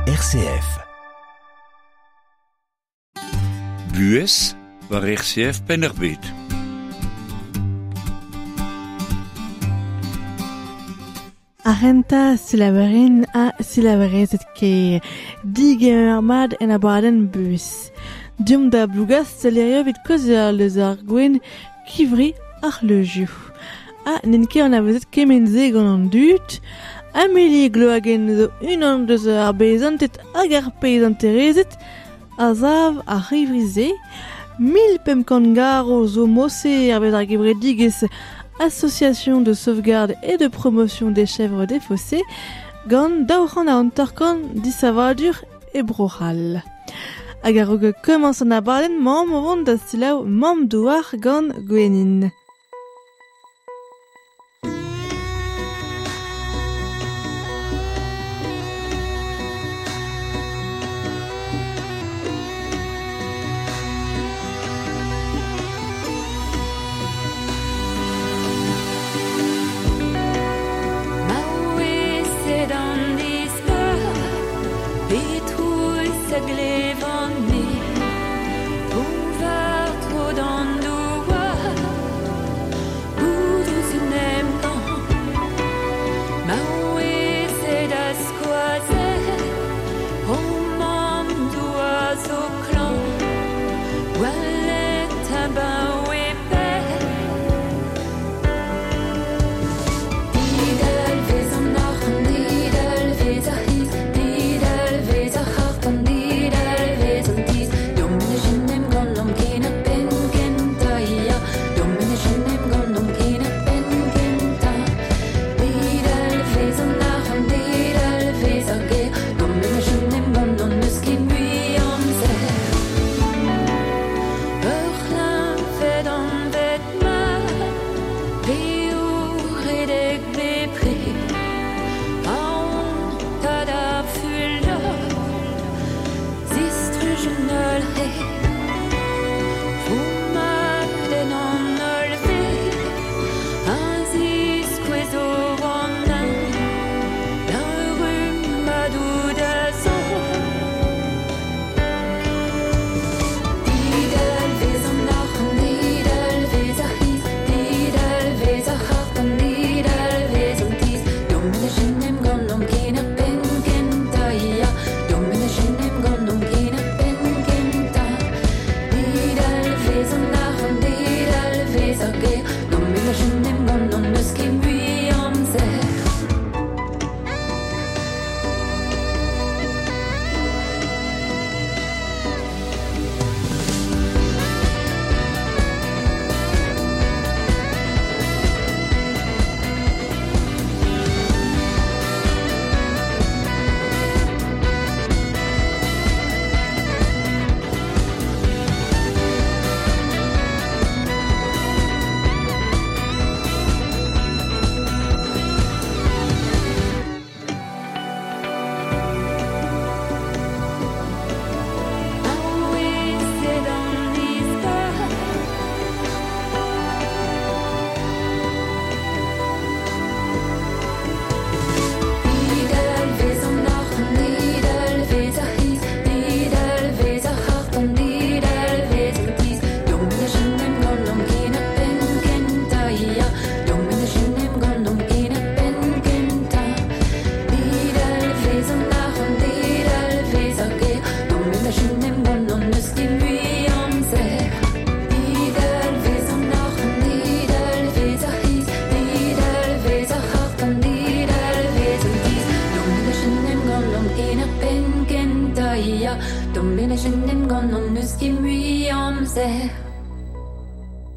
RCF. Buhez war RCF Penn-ar-Bed. Arenta silaverin a silaverezet ker digemer mat en abadenn buhez. Diomp da Blougastell hiziv evit kaozeal eus ar gouenn kivri ar leuzioù. Ha n'int ket anavezet kement-se gant an dud. Amélie Gloagen zo unan deus ar beizanted hag ar peizanterezed a sav ar c'hivri-se. 1500 garv zo mosse hervez ar gevredigezh Association de sauvegarde et de promotion des chèvres des fossés gant 250 disavadur e Bro-C'hall. Hag a-raok komañs an abadenn mamm o vont da selaou Mamm Douar gant Gwenin.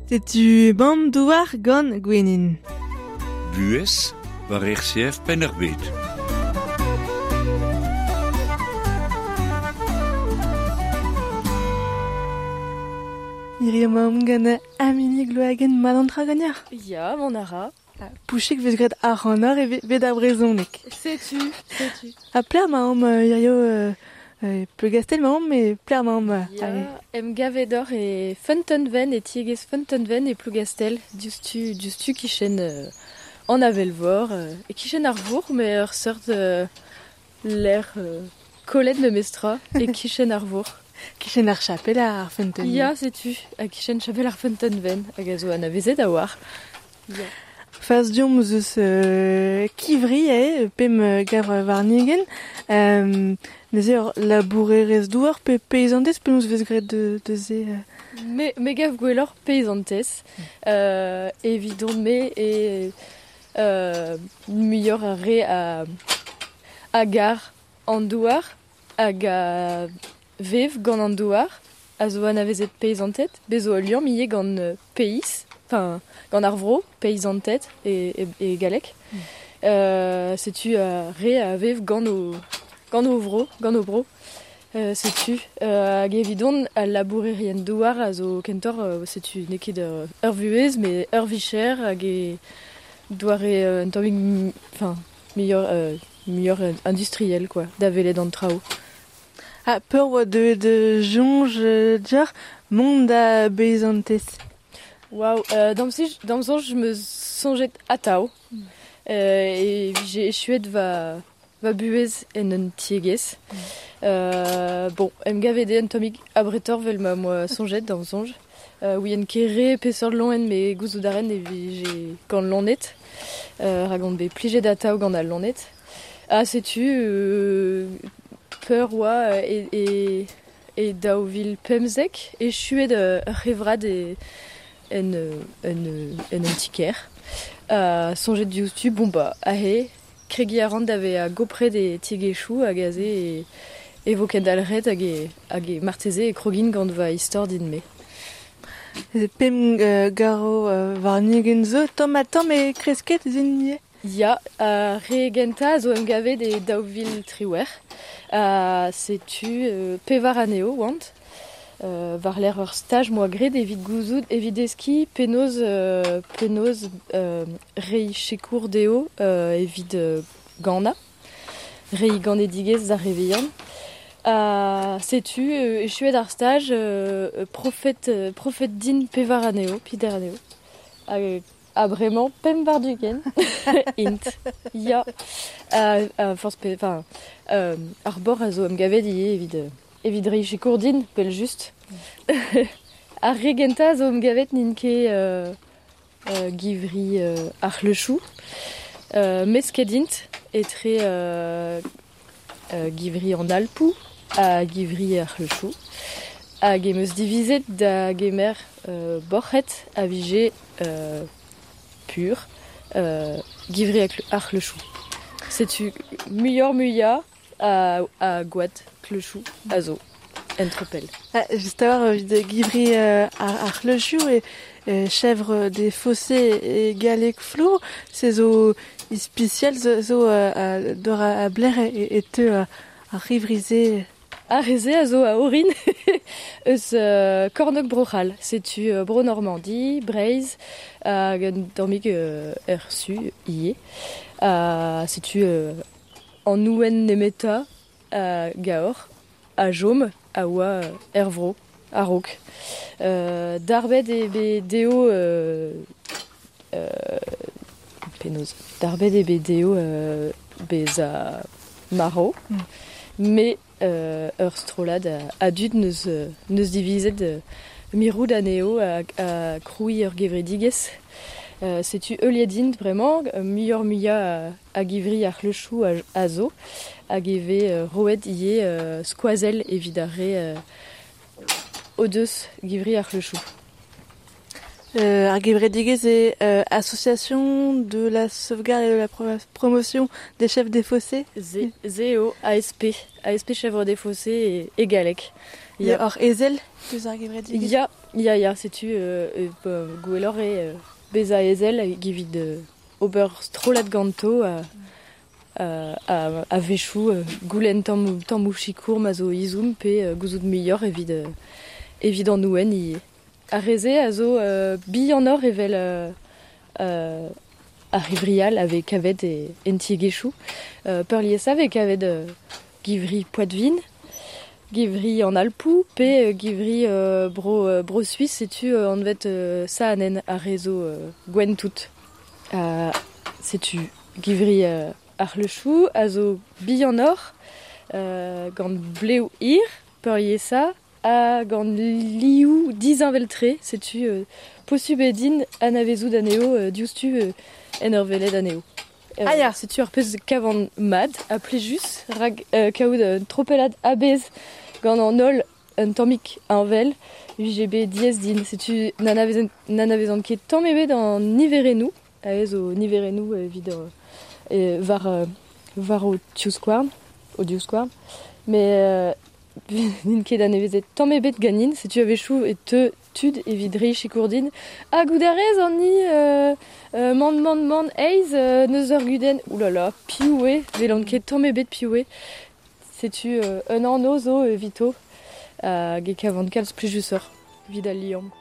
Setu Mamm Douar gant Gwenin. Buhez war RCF Penn-ar-Bed. Hiziv emaomp gant Amélie Gloagen mat an tra ganeoc'h. Ya, mont a ra. Pouchik vez graet ac'hanoc'h e bet ar brezhoneg. Setu, setu. Ha pelec'h emaomp hiziv Plougastell emaomp, met pelec'h emaomp Ya, em gavet oc'h e Feunteunven, e tiegezh Feunteunven e Plougastell, diouzhtu, diouzhtu kichen an avel-vor, e kichen ar vourc'h, met ur seurt lec'h Kollet memestra e kichen ar vor. Kichen ar chapel ar feunteun. Ya, setu, a kichen chapel ar feunteun hag a zo anavezet a war. Ya. Faz diomp zeus kivri eo, pem gavr warnigen. Neuze ur labourerez douar pe peizantez penaos vez graet de se Me gav gwelloc'h peizantez. Evidon me e muioc'h ar re a gar an douar hag a vev gant an douar a zo anavezet peizanted, bez zo ul liamm ivez gant peiz, enfin gant ar vro, peizanted e galleg. Setu re a vev gant o vro, gant o bro. Setu hag evidon al labourerien douar a zo kentoc'h setu n'eo ket ur vuhez met ur vicher hag e doare un tammig enfin muioc'h industriel quoi, da welet an traoù. Ha peur oa deuet soñj deoc'h mont da beizantez? Waouh, d'am soñj 'm eus soñjet atav. E vije echuet va buhez en un tiegezh. Bon, em gavet eo un tammig abretoc'h vel ma 'moa soñjet d'am soñj. Ouien ket re peseurt loen met gouzout a ren e vije gant loened. Rak on bet plijet atav gant al loened. Ha setu peur oa e 2015 echuet ur c'hevrad en un ti-kêr. Soñjet diouzhtu, bon bah aze, kregiñ a ran da vezañ gopret e tiegezhioù hag aze e vo kendalc'het hag e marteze e krogin gant va istor din-me. Pemp garo warn-ugent zo, tamm ha tamm e kresket zin ivez? Ya, ar re gentañ a zo em gavet e 2018. Setu pevar anezho oant. War-lerc'h ur staj 'moa graet evit gouzout, evit deskiñ penaos reiñ sikour dezho evit ganañ, reiñ ganedigezh d'ar re vihan. Setu echuet ar staj profet din pevar anezho, pider anezho. Ha bremañ pemp war-ugent int. Ya. Forzh pe enfin ar bord a zo em gavet ivez evit reiñ sikour din, pell just. Ar re gentañ a zo em gavet n'int ket givri ar c'hleuchoù. Mesket int etre givri an Alpoù ha givri ar c'hleuchoù. Hag em eus divizet da gemer boc'hed a vije pur givri ar c'hleuchoù. Setu muioc'h-muiañ a gwad kleuchoù a zo en tropell. Just a-walc'h evit givri ar c'hleuchoù e chèvre des fossés e galleg flour, se zo ispisial zo d'or a bler e teu ar rivri-se. Ar re-se a zo a orin eus kornôg Bro-C'hall. Setu Bro-Normandi, Breizh hag un tammig er su ivez. Setu an ouenn nemetañ a gaoc'h a chom a oa er vro a-raok. Darbet eo bet dezho penaos darbet eo bet dezho bezañ marv, met ur strollad a dud neus divizet mirout anezho ha krouiñ ur gevredigezh. Setu heuliet int bremañ, muioc'h-muiañ a givri ar c'hleuchoù a zo hag e vez roet ivez skoazell evit ar re o deus givri ar c'hleuchoù. Ar gevredigezh eo Association de la sauvegarde et de la promotion des chèvres des fossés. Se eo ASP, ASP chèvre des fossés e galleg. Ya. Ur ezel deus ar gevredigezh? Ya, setu gwelloc'h eo bezañ ezel hag evit ober strollad ganto a-wechoù goulenn tammoù sikour ma zo izhomm pe gouzout muioc'h evit an ouenn ivez. Ar re-se a zo bihanoc'h evel ar rivrial a vez kavet en tiegezhioù. Peurliesañ a vez kavet givri Poitevin, givri an Alpoù pe givri bro-Suis, setu anvet Saanen ar re zo gwenn tout. Setu givri ar c'hleuchoù a zo bihanoc'h, Gant blev ir, peuriesa, ha gant liou dizinveltre, setu posub edin anavezout anezho diouzhtu en ur welet anezho. Ah ya. Setu ar pezh kavan mad ha plijus, rag kaout un tropellad a-bezh gant an holl un tammig heñvel, vije bet diaes din. Setu n'anavezan ket tamm ebet an niverennoù, aes o niverennoù evit war o divskouarn, met n'int ket anavezet tamm ebet ganin, setu a-wechoù e teu tud evit reiñ sikour din. Ha goût a rez an ni man man man eiz neus ur gudenn. Oulala, piv eo, welan ket tamm ebet piv eo. Setu un anv zo evito hag e kavan kalz plijusoc'h evit al liamm.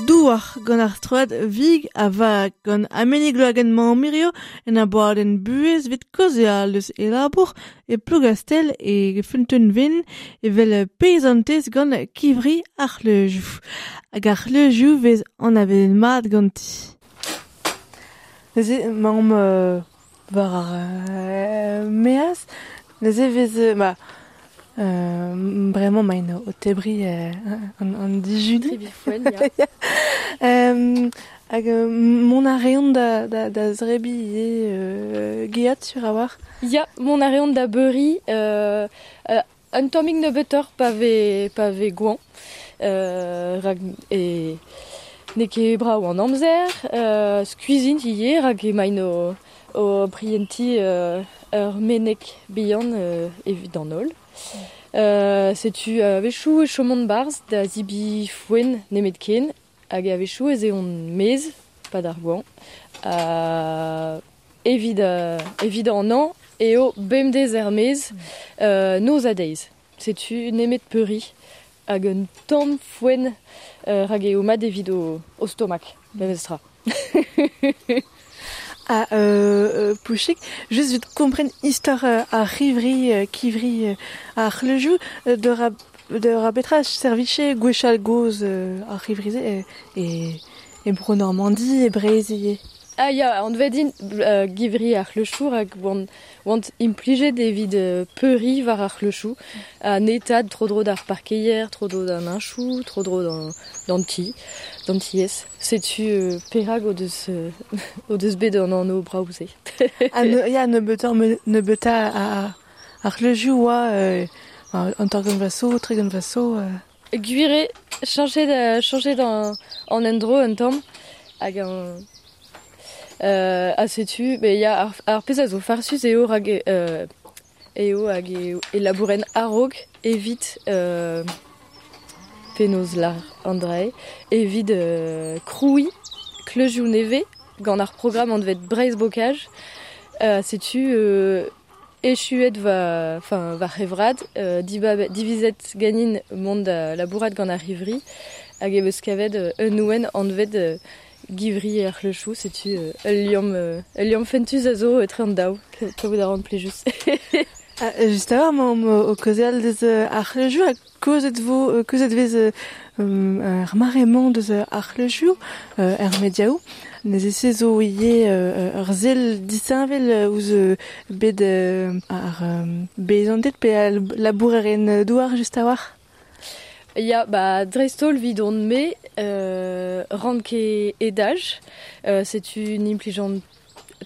Douar gant ar strollad Vig a vag gant Amélie Gloagen Mañ-Mirio en abadenn buhez evit kaozeal eus e labour e Plougastel e Feunteun-Ven evel peizantez gant kivri ar c'hleuzioù. Hag ar c'hleuzioù vez anavezet mat ganti. Neuze 'maomp war ar maez, neuze vez ma bremañ maint o tebriñ an dijuni. Trebiñ foenn, ya. Hag mont a reont da zrebiñ ivez geat sur a-walc'h. Ya, mont a reont da beuriñ un tammig nebeutoc'h pa vez goañv. Rak e N'eo ket brav an amzer, skuizh int ivez rak emaint o prientiñ ur meneg bihan evit an holl. Setu a-wechoù e chomont 'barzh da zebriñ foenn nemetken hag a-wechoù ez eont maez 'pad ar goañv. Evit an hañv eo bemdez er-maez noz ha deiz. Setu nemet peuriñ hag un tamm foenn rak eo mat evit o stomak, memestra. Ha Pouchig, just evit kompren istor ar c'hivri, kivri ar c'hleuzioù, da petra servije gwechall gozh ar c'hivri-se e Bro-Normandi, e Breizh ivez? Ah ya, anvet int givri ar c'hleuchoù rak oant implijet evit peuriñ war ar c'hleuchoù ha netaat tro-dro d'ar parkeier, tro-dro d'an heñchoù, tro-dro d'an ti, d'an tiez. Setu perak o deus bet an anv brav-se. Ha ya, nebeutañ ar c'hleuzioù oa an 30 vloaz zo, 30 vloaz zo. Gwir eo, chañchet an endro un tamm hag an... Ha setu, ya, ar pezh a zo farsus eo rak eo hag e labouren a-raok evit penaos lar an dra-se, evit krouiñ kleuzioù nevez gant ar programm anvet Breizh Bocage. Setu echuet va c'hevrad, divizet ganin mont da labourat gant ar c'hivri hag e veus kavet un nouenn anvet givri ar c'hleuchoù, setu ul liamm fentus a zo etre an daou, kavout a ran plijus. Just a-walc'h emaomp o kaozeal deus ar c'hleuzioù ha kaozet vez ar mare-mañ deus ar c'hleuzioù er mediaoù. Neuze se zo ivez ur sell disheñvel ouzh bed ar beizanted pe al labourerien douar just a-walc'h. Ya, ba dreist-holl 'vidon-me ran ket edaj, setu n'implijan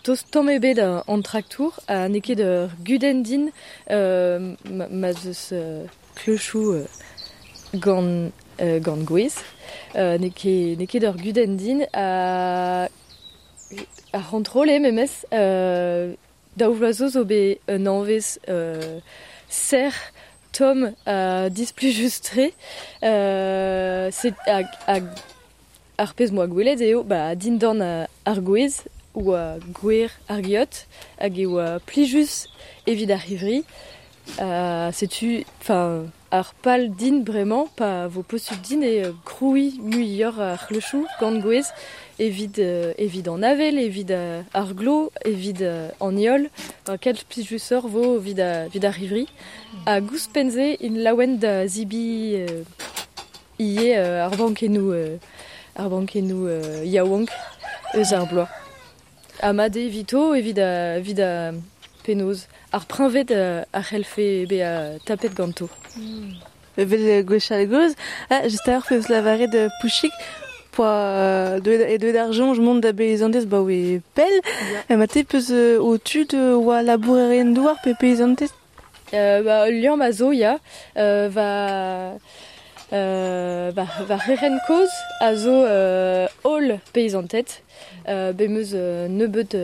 tost tamm ebet an traktour ha n'eo ket ur gudenn din ma 'z eus kleuchoù gant gwez. N'eo ket ur gudenn din ar c'hontrol eo memes daou vloaz zo zo bet un hañvezh serr tomm ha displijus-tre. Ar pezh 'moa gwelet eo dindan ar gwez oa gwer ar geot hag e oa plijus evit ar c'hivri. Setu ar pal din bremañ pa vo posupl din eo krouiñ muioc'h ar c'hleuchoù gant gwez evit an avel, evit ar glav, evit an heol. Kalz plijusoc'h vo evit ar c'hivri. Hag ouzhpenn-se int laouen da zebriñ ivez ar bankennoù yaouank eus ar bloaz. Ha mat eo evito evit penaos ar preñved a c'hellfe bezañ tapet ganto. Evel gwechall gozh, just a-walc'h peus lavaret Pouchig, poa deuet ar soñj mont da beizantez 'baoe pell. Ma te peus ho tud oa labourerien douar pe peizantez? Ul liamm a zo, ya. Va c'herent kozh a zo holl peizanted. Bet 'm eus nebeut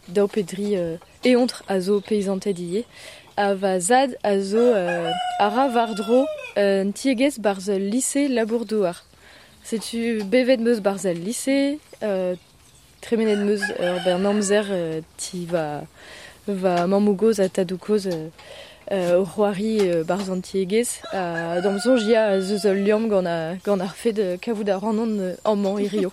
daou pe dri eontr a zo peizanted ivez. Ha va zad a zo a ra war-dro un tiegezh 'barzh ul lise labour-douar. Setu bevet 'm eus 'barzh al lise, tremenet 'm eus ur bern amzer ti va mammoù-gozh ha tadoù-kozh o c'hoari 'barzh an tiegezh. D'am soñj ya ez eus ul liamm gant ar fed kavout a ran amañ hirio.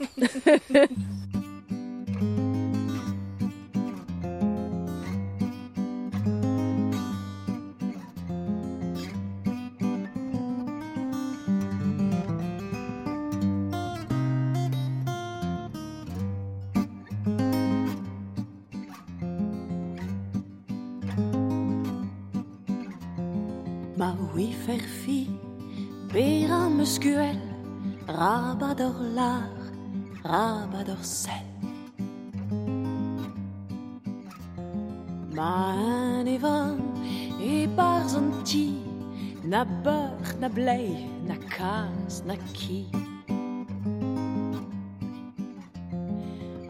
Ma ouifer fi, berañ 'm eus gwell, rabat hor lar, rabat hor sell. Ma en evan e-barzh an ti, na beur, na blei, na kazh, na ki.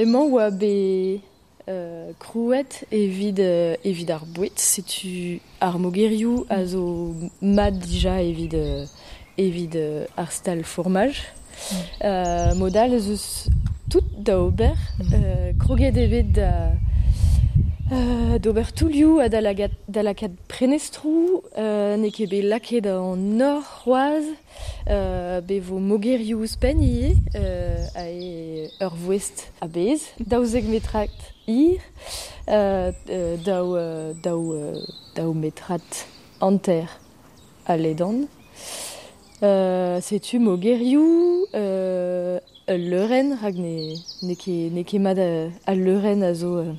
Emañ oa bet krouet evit ar boued, setu ar mogerioù a zo mat dija evit ar stal fourmaj. Mod all ez eus tout da ober, kroget eo bet da d'ober toulioù ha da lakaat prenestroù, n'eo ket bet lakaet an nor c'hoazh, bet vo mogerioù ouzhpenn ivez, eo ur voest a-bezh, 12 metrad hir, daou metrad hanter a ledan. Setu mogerioù, ul leurenn, rak n'eo ket mat al leurenn a zo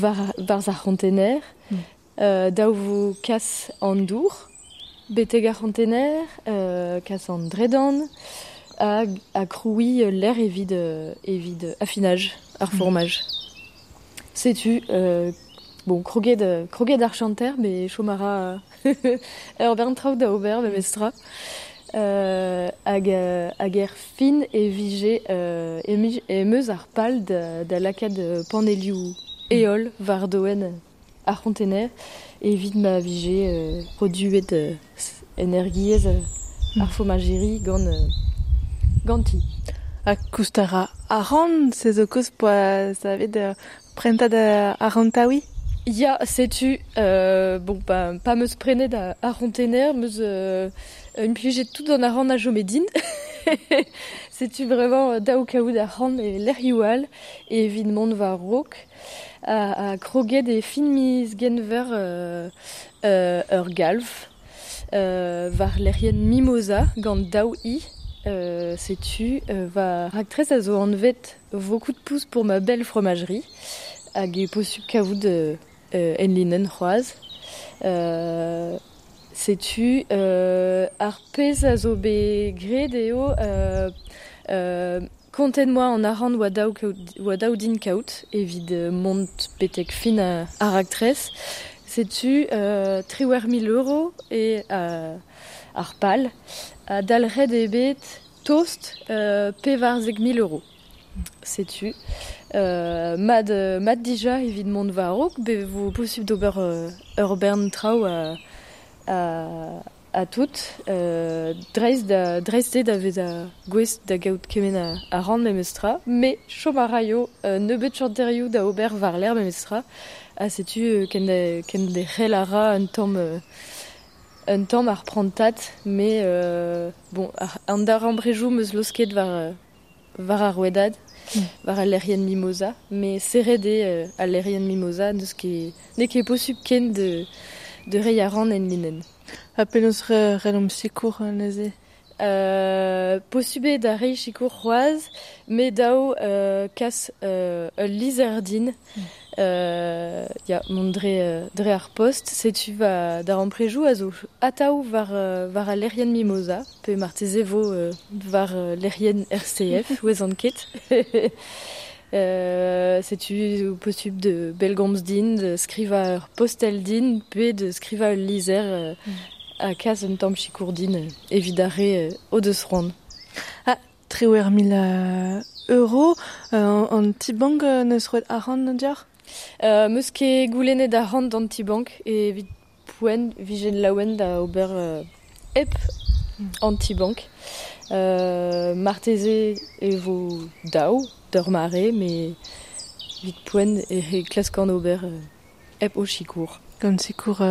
war ar c'hontener. Daou vo kas an dour, betek ar c'hontener, kas an dredan, ha krouiñ ul lec'h evit affinage ar fourmaj. Setu, bon, kroget ar chanter, met chom a ra ur bern traoù da ober memestra. Hag er fin e vije em eus ar pal da lakaat panelioù heol war doen ar c'hontener evit ma vije produet energiezh ar fomajeri ganti. Ha koust a ra arc'hant, se zo kaoz poa savet prentad arc'hantaouiñ? Ya, setu, bon, pa 'm eus prenet ar c'hontener, 'm eus implijet tout an arc'hant a chome din. Setu vraiment daou kaout arc'hant e lec'hioù all evit mont war-raok. Ha kroget e fin miz Genver ur galv war lec'hienn Mimosa gant daou i. Setu va raktres a zo anvet Vos coups de pouce pour ma belle fromagerie hag eo posupl kavout enlinenn c'hoazh. Setu ar pezh a zo bet graet eo kontet 'moa an arc'hant oa daou din kaout evit mont betek fin ar raktres. Setu 18 000 euro eo ar pal. Ha dalc'het eo bet tost 14 000 euro. Setu mat dija evit mont war-raok, bet vo posupl d'ober ur bern traoù ha tout. Dreist eo da vezañ gouest da gaout kement arc'hant memestra, met chom a raio nebeut chanterioù da ober war-lerc'h memestra. Ha setu kenderc'hel a ra un tamm ar prantad, met bon, an darempredoù 'm eus laosket war ar rouedad, war al lec'hienn Mimosa, met serret eo al lec'hienn Mimosa, n'eo ket posupl ken de reiñ arc'hant enlinenn. Ha penaos c'hellomp sikour neuze? Posupl eo da reiñ sikour c'hoazh, met dav kas ul lizher din. Ya, mont dre ar post. Setu va darempredoù a zo atav war al lec'hienn Mimosa, pe marteze vo war lec'hienn RCF, ouezan ket. Setu posupl de bellgomz din, de skrivañ ur postel din, pe de skrivañ ul lizher ha kas un tamm sikour din evit ar re o deus c'hoant. Ah, 18 000 euro, an ti-bank neus roet arc'hant deoc'h? 'M eus ket goulennet arc'hant d'an ti-bank evit poent vijen laouen da ober hep an ti-bank. Marteze e vo daou d'ur mare, met evit poent e klaskan ober hep o sikour. Gant sikour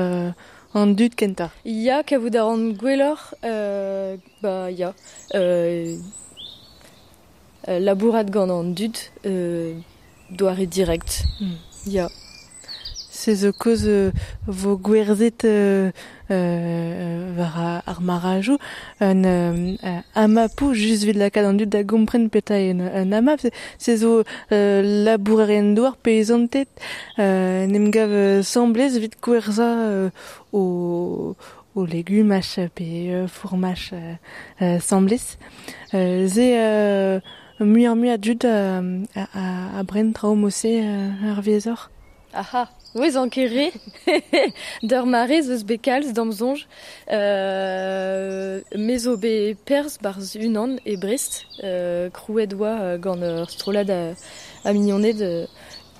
an dud kentañ? Ya, kavout a ran gwelloc'h, ba ya, labourat gant an dud doare direct. Ya. Se zo kaoz vo gwerzhet war ar marajoù un amapoù just evit lakaat an dud da gompren petra eo un amap. Se zo labourerien douar peizanted en em gav 'sambles evit gwerzhañ o legumaj pe fourmaj 'sambles. Se muioc'h-mui a dud a bren traoù mod-se hervezoc'h? Aha. Ouez an ket re, d'ur mare 'z eus bet kalz d'am soñj. Me zo bet perzh 'barzh unan e Brest, krouet oa gant ur strollad a mignoned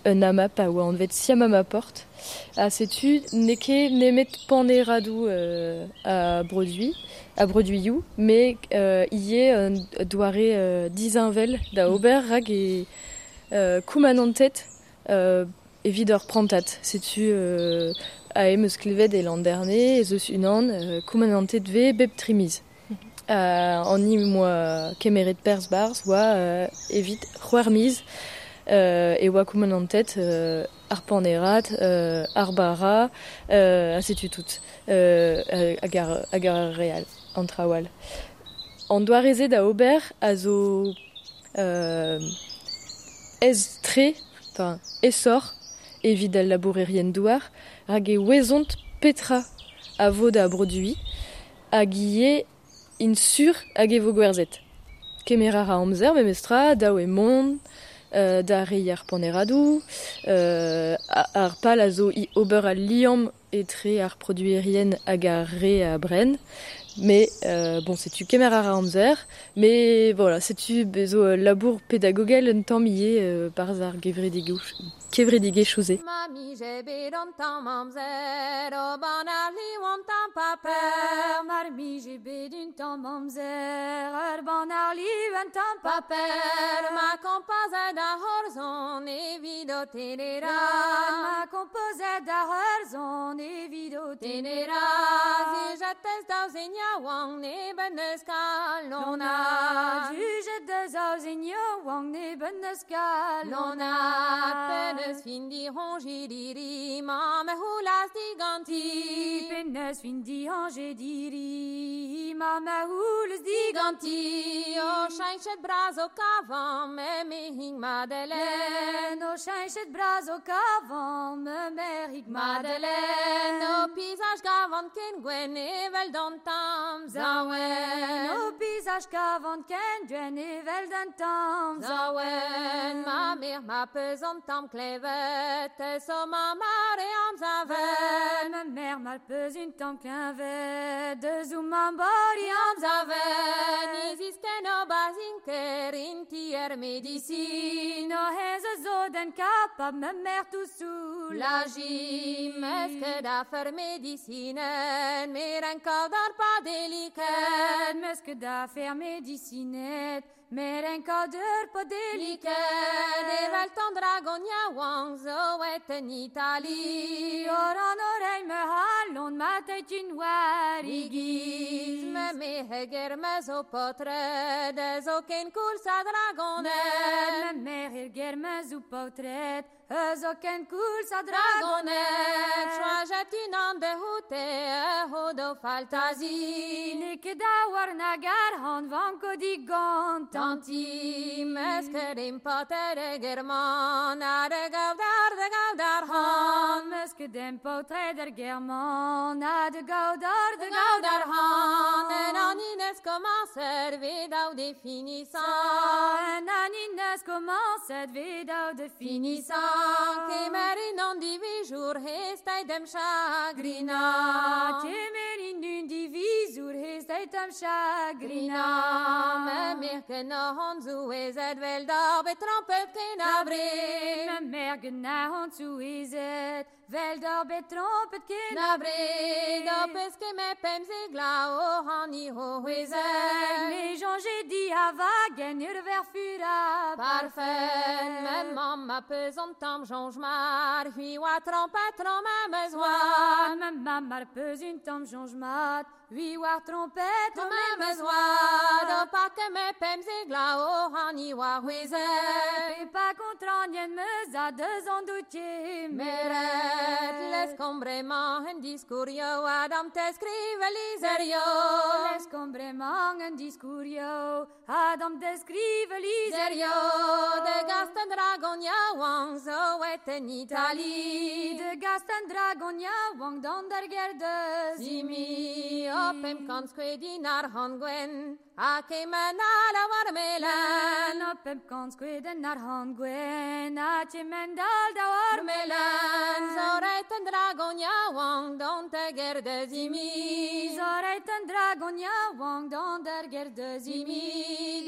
un AMAP a oa anvet Siamamaport. Ha setu n'eo ket nemet paneradoù a broduiñ, a broduioù, met ivez un doare disheñvel da ober rak e koumanantet evit ur prantad. Setu aze 'm eus klevet e Landerne ez eus unan koumanantet 'vez bep tri miz. An hini 'm boa kemeret perzh 'barzh oa evit c'hwec'h miz e oa koumanantet ar panerad, ar bara, ha setu tout. Hag ar re all, an traoù all. An doare-se da ober a zo aes-tre, enfin aesoc'h evit al labourerien-douar, rak e ouezont petra a vo da broduiñ hag ivez int sur hag e vo gwerzhet. Kemer a ra amzer memestra, dav eo mont da reiñ ar paneradoù, ar pal a zo ober al liamm etre ar produerien hag ar re a bren. Mais bon, setu kemer a ra amzer, mais voilà, setu bez zo ul labour pedagogel un tamm ivez 'barzh ar kevredigezhioù-se. Ma mije bet an tamm amzer o banal liv an tamm paper. Mar mije bet un tamm amzer ur banal liv un tamm paper. Ma kompozet ar c'horzon evit ho tenera. Ma kompozet ar c'horzon evit ho tenera. Jujetez daou zen yaouank ne ben eus kalonad. Jujet daou zen yaouank ne ben eus kalonad. Penaos fin diroñjediri, mamm a c'houlas diganti. Penaos fin diroñjediri, mamm a c'houlas diganti. O cheñchet bras ho kavan, me merc'hig Madeleine. O cheñchet bras ho kavan, me merc'hig Madeleine. Ho pizaj gavan ken gwenn evel d'an tamm zaouen. Ho pizaj gavan ken gwenn evel d'an tamm zaouen. Ma merc'h ma peus an tamm klevet, so ma mare am zavet. Ma merc'h ma peus un tamm klevet, deus ou ma mare am zavet. Niziz ken o bazin ker inti er medicine. O hez a zo den kapab ma merc'h tout soulaji. Meus ket afer medicinen, mer en kaout ar padeliket. Meus ket afer medicinet, mer en kaout ur padeliket. Evel tan dragon yaouank zo et en Itali. Or an oreilh me halon ma teit un war igiz. Me meheger me zo potred, zo ken koulz a dragoned. Me meheger me zo potred, zo ken koulz a dragoned. Choajet unan de houte, ho do faltazi. N'eo ket da war nag ar han vanko digant tanti. Meus ket empater e german, a de gaudar de gaudar han. Meus ket empaotred er german, a de gaudar de gaudar han. En an ines komañset vet daou definisan. En an ines komañset vet daou definisan. Kemer in an divizour hesteit em chagrina. Kemer in un divizour hesteit em chagrina. Me merc'h en an zouezet vel d'ar bet trompet ken abred. Me merc'h en an zouezet vel d'ar bet trompet ken abred. O peus ket me pemzek glav o han i ho c'hwezek. Me soñje di a vagen ur verfur a parfait. Me mamm ma peus an tamm soñj mat, c'hwi oa trompet tro memes oad. Me mamm mar peus un tamm soñj mat, c'hwi oa trompet tro memes oad. O pa ket me pemzek glav o han i oa c'hwezek. Pe pa kontranien meus a deus an doutier meret. Leskomp bremañ en diskourio, Adam te skrive lizerio. Leskomp bremañ en diskourio, Adam te skrive lizerio. De gast un dragon yaouank zo et en Itali. De gast un dragon yaouank d'an der ger deus imi. O pemp kant skoed din ar han gwenn, ha kement all a war melen. Pemp kant skoedenn arc'hant gwenn ha kemend-all daou armelen. Zo reit un dragon yaouank dont da ger da zimi. Zo reit un dragon yaouank dont da ger da zimi.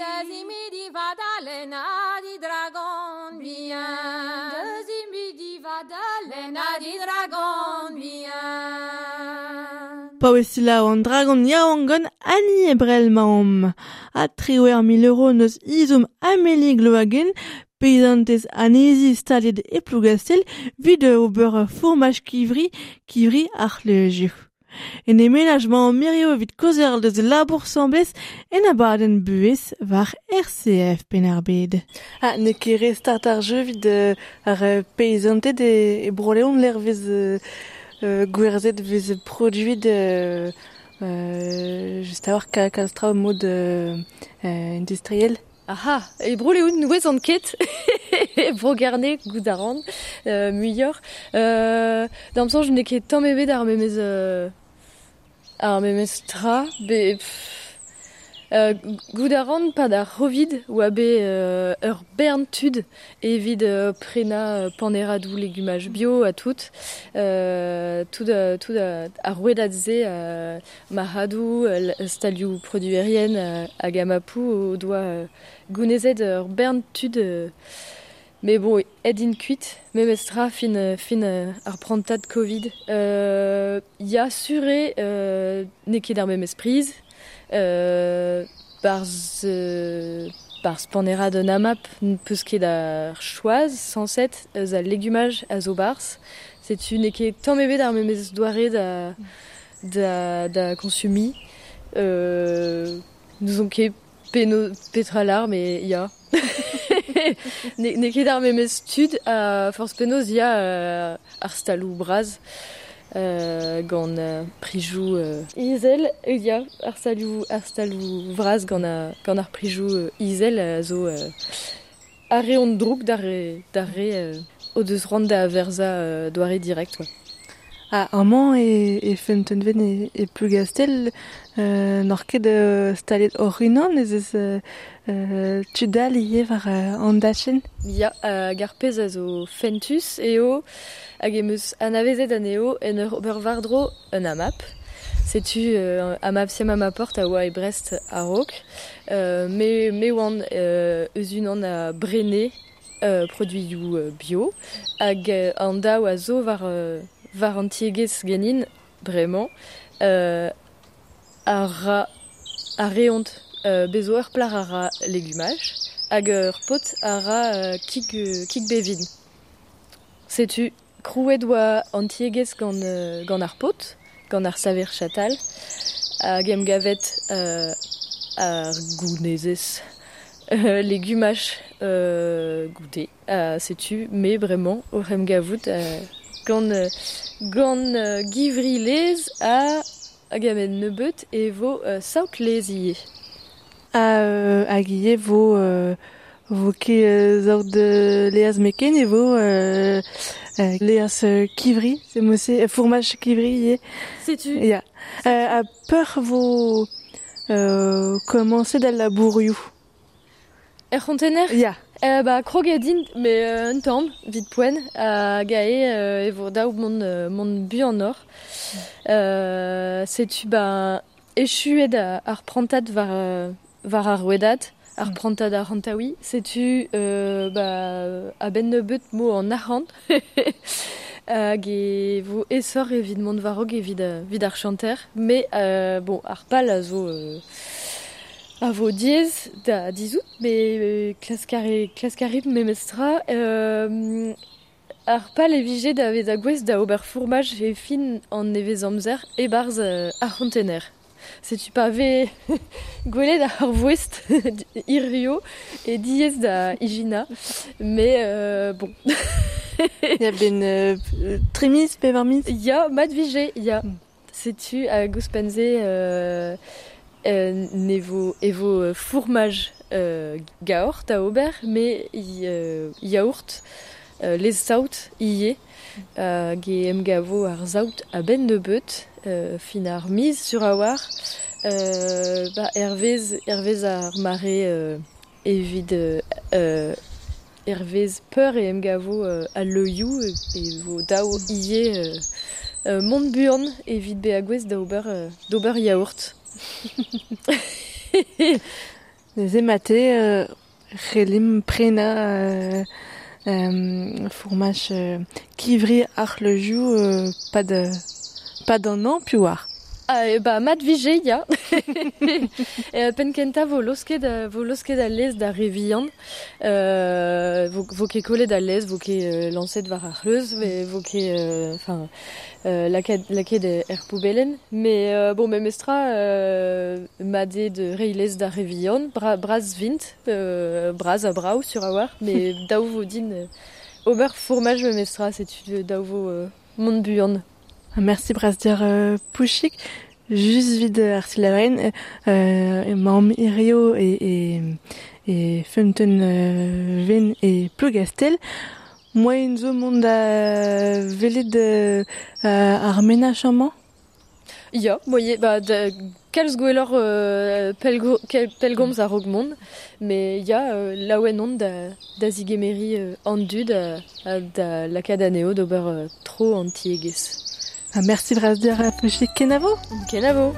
Da zimi di vadalen ha di dragon bihan. Da zimi di vadalen ha di dragon bihan. Paouez selaou an dragon yaouank gant Annie Ebrel 'maomp. Ha 18 000 euro neus izom Amélie Gloagen, peizantez anezi staliet e Plougastel, 'vit ober fourmaj kivri, kivri ar c'hleuzioù. En e menaj 'mañ hirio evit kaozeal deus e labour 'sambles en abadenn buhez war RCF Penn-ar-Bed. Ah, n'eo ket re start ar jeu 'vit ar peizanted e Bro-Leon lec'h 'vez gwerzhet 'vez produet just a-walc'h kalz traoù mod industriel. Aha, e Bro-Leon n'ouezan ket, e Bro-Gerne goût a ran, muioc'h. D'am soñj n'eo ket tamm ebet ar memes ar memes tra, be pff, goût a ran 'pad ar C'hovid oa bet ur bern tud evit prenañ paneradoù legumaj bio ha tout. Tout tout ar rouedad-se marc'hadoù, stalioù produerien hag amapoù o doa gounezet ur bern tud mais bon, aet int kuit, memes tra fin fin ar prantad Covid. Ya sur eo n'eo ket ar memes priz. Barzh barzh panerad un AMAP n'peus ket ar choaz sañset eus al legumaj a zo 'barzh. Setu n'eo ket tamm ebet ar memes doare da da da konsumiñ. N'ouzon ket peno petra lar mais ya. N'eo ket ar memes tud ha forzh penaos ya ar staloù bras gant prijoù izel ya ar stalioù ar staloù vras gant gant ar prijoù izel a zo a reont droug d'ar re d'ar re o deus c'hoant da verzañ doare direct quoi. Ah, amañ e Feunteunven e Plougastel n'oc'h ket staliet hoc'h-unan ez eus tud all ivez war an dachenn? Ya, hag ar pezh a zo fentus eo hag em eus anavezet anezho en ur ober war-dro un AMAP. Setu AMAP Siam Amaport a oa e Brest a-raok. Me me oan eus unan a brene produioù bio hag an daou a zo war war an tiegezh ganin bremañ a ra a reont bez zo ur plac'h a ra legumaj hag ur paotr a ra kig kig bevin. Setu krouet oa an tiegezh gant gant ar paotr, gant ar saver chatal hag em gavet ar gounezez legumaj goude. Setu me bremañ oc'h em gavout gant gant givri-laezh ha hag a-benn nebeut e vo saout-laezh ivez. Ha hag ivez vo vo ket saout laezh meken e vo laezh kivri, c'est mod-se fourmaj kivri ivez. Setu. Ya. Ha peur vo komañset al labourioù? Er c'hontener? Ya. Ba kroget int mais un tamm 'vit poent hag aze e vo dav mont mont buanoc'h. Setu ba echuet ar prantad war war ar rouedad, ar prantad arc'hantaouiñ. Setu ba a-benn nebeut 'mo an arc'hant hag e vo aesoc'h evit mont war-raok evit evit ar chanter. Mais bon ar pal a zo a vo diaes da dizhout, met klask a klask a rit memestra. Ar pal e vije da vezañ gouest da ober fourmaj e fin an nevezamzer e-barzh ar c'hontener. Setu pa vez gwelet ar voest hirio e diaes da ijinañ, mais bon. Ya benn tri miz, pevar miz? Ya, mat vije, ya. Setu hag ouzhpenn-se ne vo e vo fourmaj gaoc'h da ober, met yaourt, laezh-saout ivez, hag e emgavo ar saout a-benn nebeut, fin ar miz sur a-walc'h, ba hervez hervez ar mare evit hervez peur e emgavo al leioù e vo dav ivez mont buan evit bezañ gouest da ober d'ober yaourt. Neuze mate c'hellimp prenañ fourmaj kivri ar c'hleuzioù pad pad an hañv piv oar. Ah, ba mat vije, ya. Penn kentañ vo losket vo losket al lez d'ar re vihan. Vo, vo ket kollet al lez, vo ket lañset war ar c'hleuz, vo ket enfin lakaet lakaet er poubellenn. Mais bon memestra mat eo de reiñ lez d'ar re vihan, bra bras vint, bras ha brav sur a-walc'h, met dav vo din ober fourmaj memestra, setu dav vo mont buan. Merci bras deoc'h Pouchik. Just evit ar silaouenn emaomp hirio e, e, e feunteun Ven e Plougastell. Moaien zo mont da welet ar menaj amañ? Ya, moaien, ba, da, kalz gwelloc'h pellgo, pellgomz a-raok mont, met ya, laouen on da, da zigemeriñ an dud ha da lakaat anezho d'ober tro an tiegezh. Ha merci bras deoc'h Pouchik, kenavo! Kenavo!